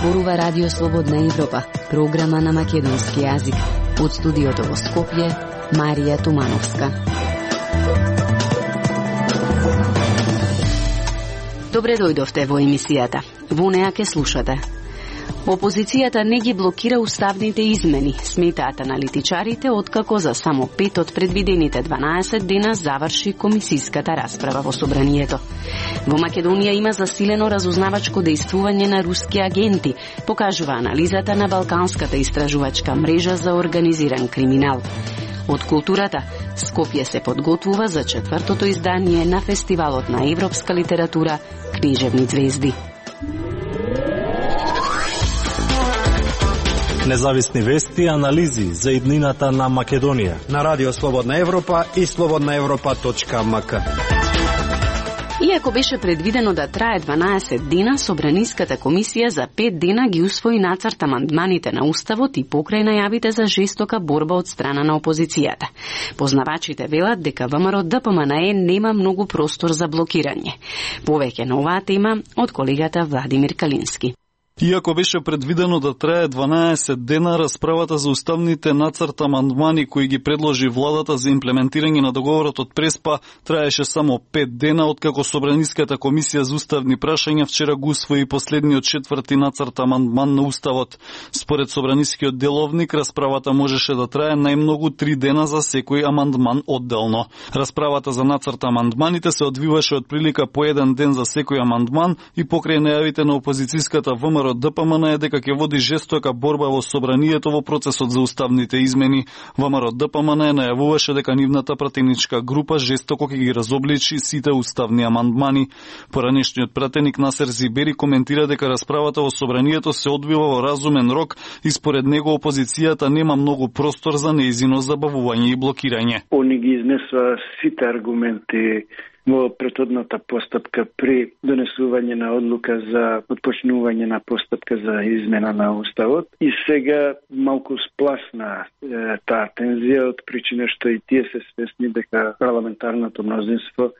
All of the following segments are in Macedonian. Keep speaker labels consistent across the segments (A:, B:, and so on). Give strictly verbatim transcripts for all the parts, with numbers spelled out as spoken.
A: зборува Радио Слободна Европа, програма на македонски јазик. Од студиото во Скопје, Марија Тумановска. Добре дојдовте во емисијата. Во неа ке слушате. Опозицијата не ги блокира уставните измени, сметаат аналитичарите, откако за само пет од предвидените дванаесет дена заврши комисиската расправа во Собранието. Во Македонија има засилено разузнавачко дејствување на руски агенти, покажува анализата на Балканската истражувачка мрежа за организиран криминал. Од културата, Скопје се подготвува за четвртото издание на Фестивалот на европска литература Книжевни звезди.
B: Независни вести и анализи за иднината на Македонија
C: на Радио Слободна Европа и слободна европа точка ем ка.
A: Иако беше предвидено да трае дванаесет дена, Собраниската комисија за пет дена ги усвои нацрт амандманите на Уставот и покрај најавите за жестока борба од страна на опозицијата. Познавачите велат дека ВМРО Д П М Н Е нема многу простор за блокирање. Повеќе на оваа тема од колегата Владимир Калински.
D: Иако беше предвидено да трае дванаесет дена, расправата за уставните нацрт амандмани кои ги предложи владата за имплементирање на договорот од Преспа траеше само пет дена, откако Собраниската комисија за уставни прашања вчера го усвои последниот четврти нацрт амандман на Уставот. Според Собранискиот деловник, расправата можеше да трае најмногу три дена за секој амандман одделно. Расправата за нацрт амандманите се одвиваше од прилика по еден ден за секој амандман и покрај најавите на опозицијската ВМРО Д П М Н Е дека ќе води жестока борба во Собранието во процесот за уставните измени. ВМРО Д П М Н Е најавуваше дека нивната пратеничка група жестоко ќе ги разобличи сите уставни амандмани. Поранешниот пратеник Насер Зибери коментира дека расправата во Собранието се одвива во разумен рок и според него опозицијата нема многу простор за неизино забавување и блокирање.
E: Они ги изнесува сите аргументи во претhodната постапка при донесување на одлука за отпочнување на постапка за измена на Уставот и сега малку спласна е, таа тензија од причина што и тие се свесни дека парламентарното мнозинство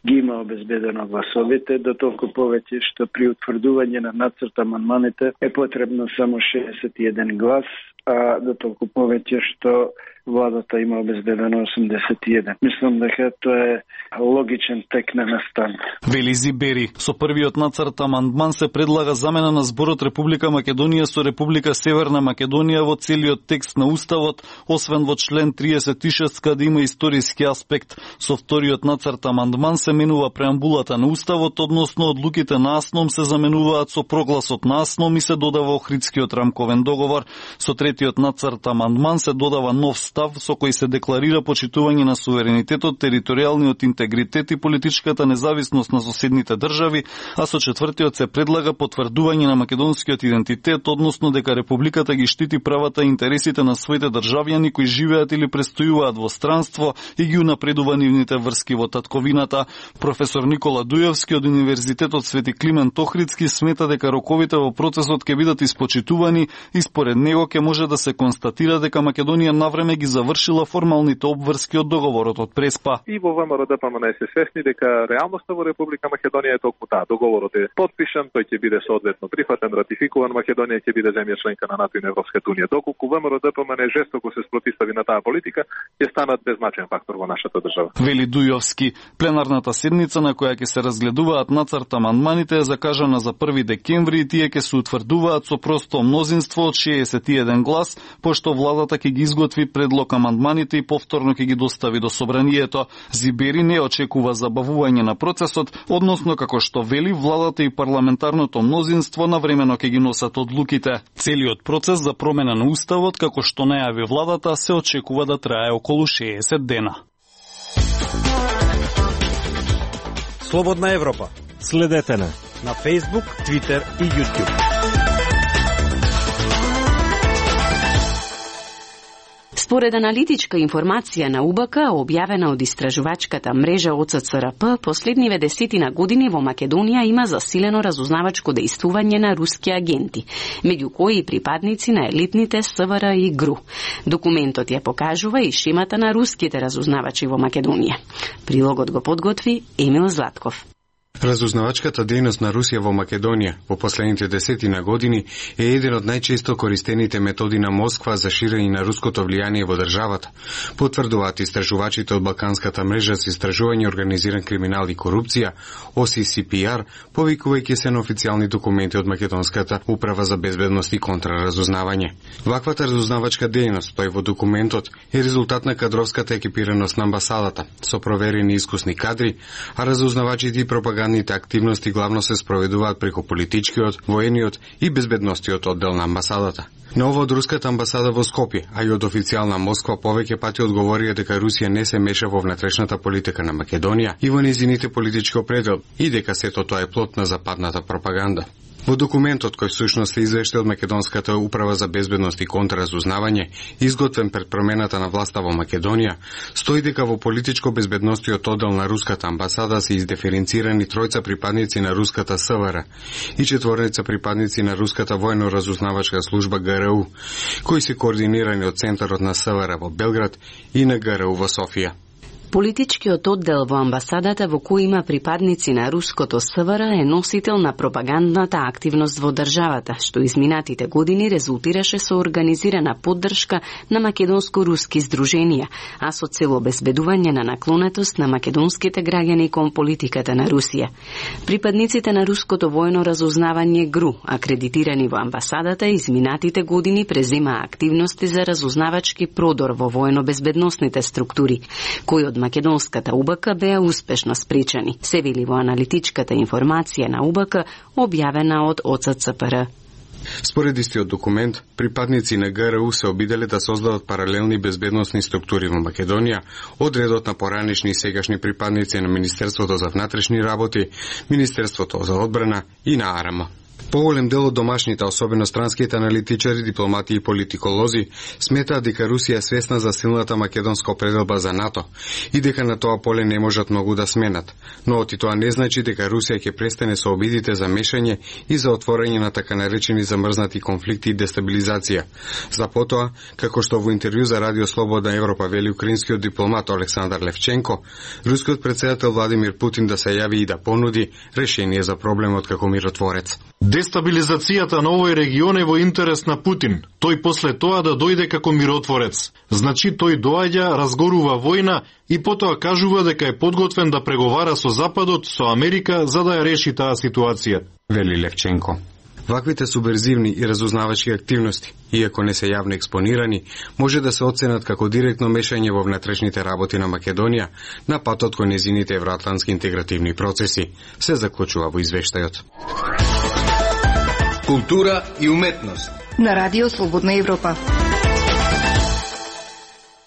E: ги има обезбедено гласовите, до толку повеќе што при утврдување на нацрт амандманите е потребно само шеесет и еден глас, а до толку повеќе што владата има обезбедено осумдесет и еден. Мислам дека тоа е логичен тек на настан.
D: Вели Зибери, со првиот нацрт амандман се предлага замена на зборот Република Македонија со Република Северна Македонија во целиот текст на Уставот, освен во член триесет и шест каде има историски аспект. Со вториот нацрт амандман се менува преамбулата на Уставот, односно одлуките на АСНОМ се заменуваат со прогласот на АСНОМ и се додава Охридскиот рамковен договор. Со третиот нацрт амандман се додава нов став со кој се декларира почитување на суверенитетот, територијалниот интегритет и политичката независност на соседните држави, а со четвртиот се предлага потврдување на македонскиот идентитет, односно дека Републиката ги штити правата и интересите на своите државјани кои живеат или престојуваат во странство и ги унапредува нивните врски во татковината. Професор Никола Дујовски од Универзитетот Свети Климент Охридски смета дека роковите во процесот ќе бидат испочитувани и според него ќе може да се констатира дека Македонија навреме ги завршила формалните обврски од договорот од Преспа.
F: И во ВМРО Д П М Н Е се свесни дека реалноста во Република Македонија е толку таа. Договорот е подпишан, тој ќе биде соодветно прифатен, ратификуван, Македонија ќе биде земја членка на НАТО и на Европската унија. Доколку ВМРО Д П М Н Е жестоко се спротивстави на таа политика, ќе станат беззначен фактор во нашата држава.
D: Вели Дујовски, пленарната седница на која ќе се разгледуваат нацрт амандманите е закажана за први декември и тие ќе се утврдуваат со просто мнозинство од шеесет и еден глас, пошто владата ќе ги изготви предлог амандманите и повторно ќе ги достави до Собранието. Зибери не очекува забавување на процесот, односно како што вели владата и парламентарното мнозинство навремено ќе ги носат одлуките. Целиот процес за промена на Уставот, како што најави владата, се очекува да трае околу шеесет дена.
C: Слободна Европа.
B: Следете на
C: на Facebook, Twitter и YouTube.
A: Според аналитичка информација на У Б К, објавена од истражувачката мрежа О Ц Ц Р П, последниве десетина години во Македонија има засилено разузнавачко дејствување на руски агенти, меѓу кои и припадници на елитните С В Р и Г Р У. Документот ја покажува и шемата на руските разузнавачи во Македонија. Прилогот го подготви Емил Златков.
G: Разузнавачката дејност на Русија во Македонија во последните десетина години е еден од најчесто користените методи на Москва за ширење на руското влијание во државата, потврдуваат истражувачите од Балканската мрежа за истражување организиран криминал и корупција, О С С П Р, повикувајќи се на официјални документи од Македонската управа за безбедност и контраразузнавање. Ваквата разузнавачка дејност, тој во документот, е резултат на кадровската екипираност на амбасадата, со проверени искусни кадри, а разузнавачите и пропагандните активности главно се спроведуваат преку политичкиот, воениот и безбедностиот оддел на амбасадата. Ново од руската амбасада во Скопје, а и од официјална Москва повеќе пати одговорија дека Русија не се меша во внатрешната политика на Македонија и во незините политички определ и дека сето тоа е плод на западната пропаганда. Во документот, кој всушност е извештај од Македонската управа за безбедност и контраразузнавање, изготвен пред промената на власта во Македонија, стои дека во политичко-безбедностиот оддел на руската амбасада се издиференцирани тројца припадници на руската С В Р и четворица припадници на руската воено-разузнавачка служба Г Р У, кои се координирани од центарот на С В Р во Белград и на Г Р У во Софија.
A: Политичкиот оддел во амбасадата во кој има припадници на руското С В Р е носител на пропагандната активност во државата, што изминатите години резултираше со организирана поддршка на македонско-руски здруженија, а со цел обезбедување на наклонетост на македонските граѓани кон политиката на Русија. Припадниците на руското војно разузнавање Г Р У, акредитирани во амбасадата, изминатите години преземаа активности за разузнавачки продор во војно-безбедносните структури, кои од македонската У Б К беа успешно спречени, се вели во аналитичката информација на У Б К, објавена од О Ц Ц П Р.
G: Според истиот документ, припадници на Г Р У се обиделе да создадат паралелни безбедносни структури во Македонија, од редот на поранешни и сегашни припадници на Министерството за внатрешни работи, Министерството за одбрана и на А Р М. Поголем дел од домашните, особено странските аналитичари, дипломати и политиколози, сметаат дека Русија е свесна за силната македонска определба за НАТО и дека на тоа поле не можат многу да сменат. Но оти тоа не значи дека Русија ќе престане со обидите за мешање и за отворање на така наречени замрзнати конфликти и дестабилизација. За потоа, како што во интервју за Радио Слободна Европа вели украинскиот дипломат Александар Левченко, рускиот претседател Владимир Путин да се јави и да понуди решение за проблемот како миротворец.
H: Дестабилизацијата на овој регион е во интерес на Путин. Тој после тоа да дојде како миротворец. Значи тој доаѓа, разгорува војна и потоа кажува дека е подготвен да преговара со Западот, со Америка, за да ја реши таа ситуација,
G: вели Левченко. Ваквите субверзивни и разузнавачки активности, иако не се јавно експонирани, може да се оценат како директно мешање во внатрешните работи на Македонија на патот кон незините евроатлантски интегративни процеси, се заклучува во извештајот.
I: Култура и уметност
J: на Радио Слободна Европа.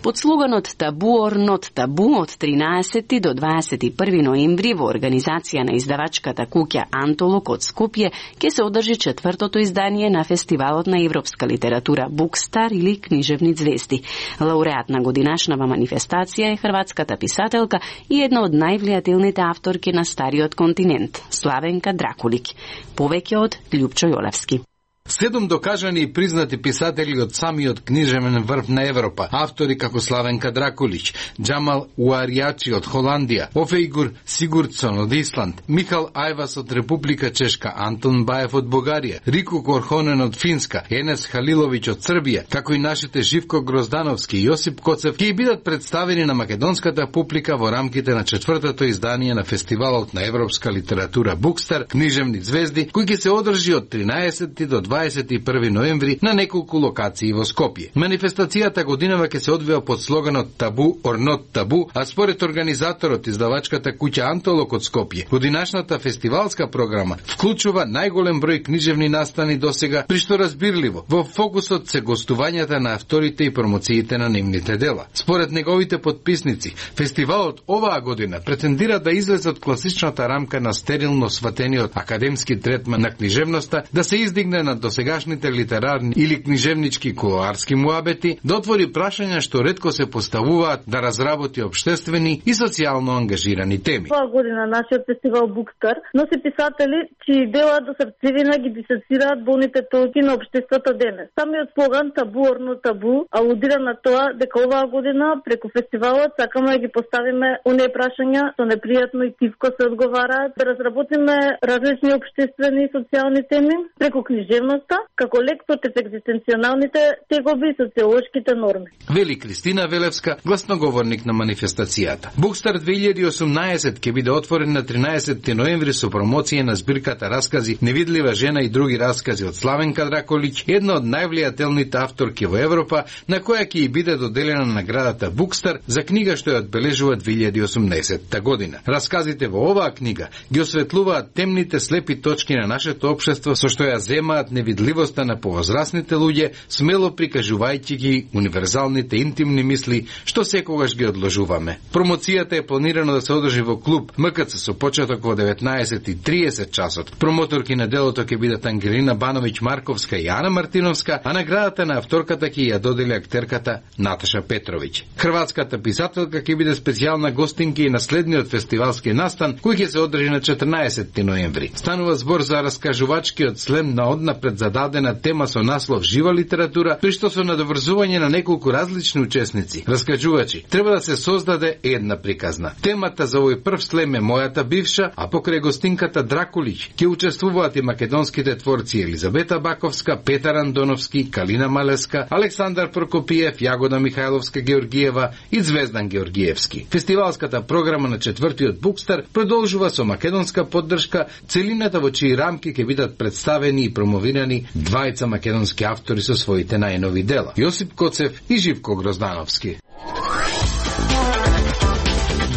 A: Под слоганот Табу ор нот табу од тринаесети до дваесет и први ноември во организација на издавачката куќа Антолог од Скопје ќе се одржи четвртото издание на фестивалот на европска литература Букстар или Книжевни звезди. Лауреат на годинашнава манифестација е хрватската писателка и една од највлијателните авторки на стариот континент, Славенка Дракулик. Повеќе од Љупчо Јолевски.
I: Седум докажани и признати писатели од самиот книжевен врв на Европа, автори како Славенка Дракулич, Джамал Уаријачи од Холандија, Офејгур Сигурдсон од Исланд, Михал Ајвас од Република Чешка, Антон Баев од Бугарија, Рико Корхонен од Финска, Енес Халиловиќ од Србија, како и нашите Живко Гроздановски и Јосип Коцев, ќе бидат представени на македонската публика во рамките на четвртото издание на фестивалот на европска литература Букстар, Книжевни звезди, кој ќе се одржи од тринаесети до дваесет и први ноември на неколку локации во Скопје. Манифестацијата годинава ќе се одвива под слоганот Табу ор нот табу, а според организаторот издавачката куќа Антолог од Скопје, годинашната фестивалска програма вклучува најголем број книжевни настани досега, при што разбирливо во фокусот се гостувањата на авторите и промоциите на нивните дела. Според неговите подписници, фестивалот оваа година претендира да излезе од класичната рамка на стерилно сватениот академски третман на книжевноста, да се издигне на досегашните литерарни или книжевнички кулоарски муабети, да отвори прашања што ретко се поставуваат, да разработи обштествени и социјално ангажирани теми.
K: Оваа година нашиот фестивал Букстар носи писатели чии дела до срцевина ги дисецираат болните точки на општеството денес. Самиот слоган табу орно табу алудира на тоа дека оваа година преку фестивалот сакаме да ги поставиме оние прашања што непријатно и тивко се одговараат, да разработиме различни општествени и социјални теми преку книжевноста, како лек против екзистенционалните тегоби и социолошките норми.
I: Вели Кристина Велевска, гласноговорник на манифестацијата. Букстар две илјади и осумнаесет ќе биде отворен на тринаесетти ноември со промоција на збирката раскази Невидлива жена и други раскази од Славенка Дракулич, една од највлијателните авторки во Европа, на која ќе и биде доделена наградата Букстар за книга што ја одбележува две илјади и осумнаесетта година. Расказите во оваа книга ги осветлуваат темните слепи точки на нашето општество со што ја земаат невидливоста на повозрасните луѓе, смело прикажувајќи ги универзалните интимни мисли што секогаш ги одложуваме. Промоцијата е планирано да се одржи во клуб М К Ц со почеток во деветнаесет и триесет часот. Промоторки на делото ќе бидат Ангелина Бановиќ Марковска и Ана Мартиновска, а наградата на авторката ќе ја додели актерката Наташа Петровиќ. Хрватската писателка ќе биде специјална гостинка и на следниот фестивалски настан кој ќе се одржи на четрнаесетти ноември. Станува збор за раскажувачкиот слем на однапред зададена тема со наслов Жива литература, тој што со надоврзување на неколку различни учесници, раскажувачи, треба да се создаде една приказна. Темата за овој прв слем е Мојата бивша, а покрај гостинката Дракулич ќе учествуваат и македонските творци Елизабета Баковска, Петар Андоновски, Калина Малеска, Александар Прокопиев, Јагода Михајловска Георгиева и Звездан Георгиевски. Фестивалската програма на четвртиот Букстар продолжува со македонска поддршка, целината во чии рамки ќе бидат представени и промовирани двајца македонски автори со своите најнови дела: Јосип Коцев и Живко Гроздановски.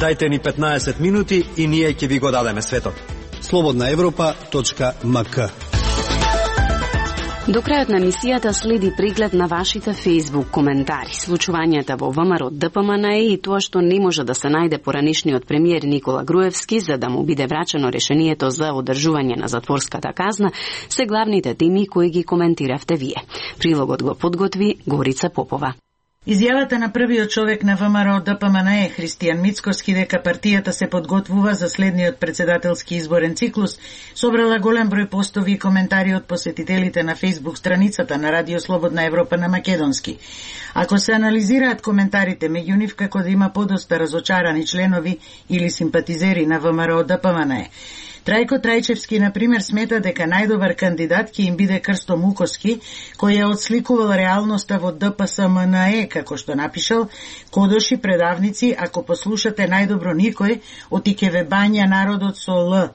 C: Дајте ни петнаесет минути и ние ќе ви го дадеме светот. слободна европа точка м к.
A: До крајот на емисијата следи преглед на вашите Facebook коментари, случувањата во ВМРО Д П М Н Е и тоа што не може да се најде поранишниот премиер Никола Груевски за да му биде врачено решението за одржување на затворската казна, се главните теми кои ги коментиравте вие. Прилогот го подготви Горица Попова.
L: Изјавата на првиот човек на ВМРО Д П М Н Е, Христијан Мицкоски, дека партијата се подготвува за следниот председателски изборен циклус, собрала голем број постови и коментари од посетителите на Facebook страницата на Радио Слободна Европа на македонски. Ако се анализираат коментарите, меѓу нив како да има подоста разочарани членови или симпатизери на ВМРО Д П М Н Е. Трајко Трајчевски, например, смета дека најдобар кандидат ќе им биде Крсто Муковски, кој ја отсликувал реалноста во Д П С М Н Е, како што напишал: кодоши предавници, ако послушате најдобро никој, оти ве бања народот со Л.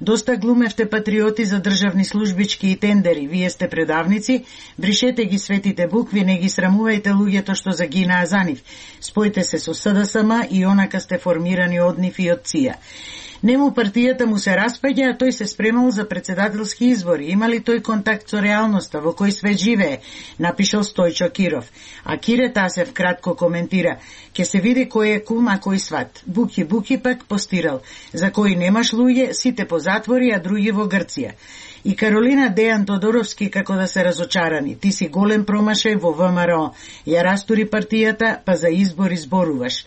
L: Доста глумевте патриоти за државни службички и тендери, вие сте предавници, бришете ги светите букви, не ги срамувајте луѓето што загинаа за нив. Спојте се со С Д С М и онака сте формирани од нив и од Ц И А. Нему партијата му се распаѓа, а тој се спремал за председателски избори. Има ли тој контакт со реалноста, во кој свет живее, напишал Стојчо Киров. А Кире Тасев кратко коментира: ке се види кој е кум, а кој сват. Буки Буки пак постирал: за кој немаш луѓе, сите по затвори, а други во Грција. И Каролина Дејан Тодоровски како да се разочарани: ти си голем промашај во В М Р О, ја растури партијата, па за избори зборуваш.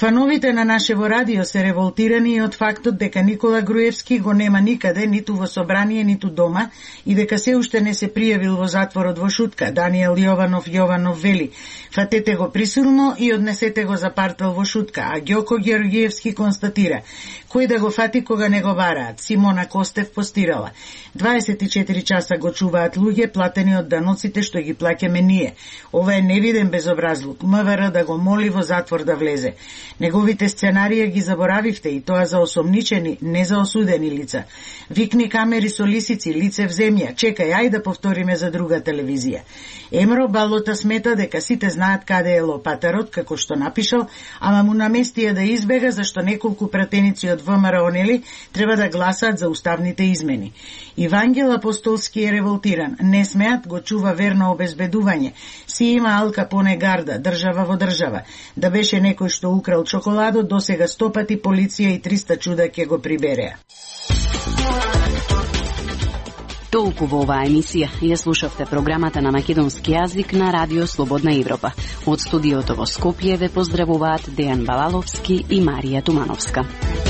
L: Фановите на нашево радио се револтирани од фактот дека Никола Груевски го нема никаде, ниту во собрание, ниту дома, и дека се уште не се пријавил во затворот во шутка. Даниел Јованов Јованов вели: фатете го присилно и однесете го за партел во шутка. А Ѓоко Георгиевски констатира: кој да го фати кога не го бараат? Симона Костев постирала: дваесет и четири часа го чуваат луѓе платени од даноците што ги плаќаме ние. Ова е невиден безобразлук. М В Р да го моли во затвор да влезе. Неговите сценарија ги заборавивте, и тоа за осомничени, не за осудени лица. Викни камери со лисици, лице в земја. Чекај, ај да повториме за друга телевизија. Емро Балота смета дека сите знаат каде е лопатарот, како што напишал, ама му наместија да избега зашто неколку пратеници од В М Р О нели треба да гласаат за уставните измени. Ивангел Апостолски е револтиран. Не смеат, го чува верно обезбедување. Си има Ал Капоне гарда, држава во држава. Да беше некој што украл чоколадо, досега сто пати полиција и триста чуда ќе го прибереа.
A: Толку во оваа емисија. Ја слушавте програмата на македонски јазик на Радио Слободна Европа. Од студиото во Скопје ве поздравуваат Дејан Балаловски и Марија Тумановска.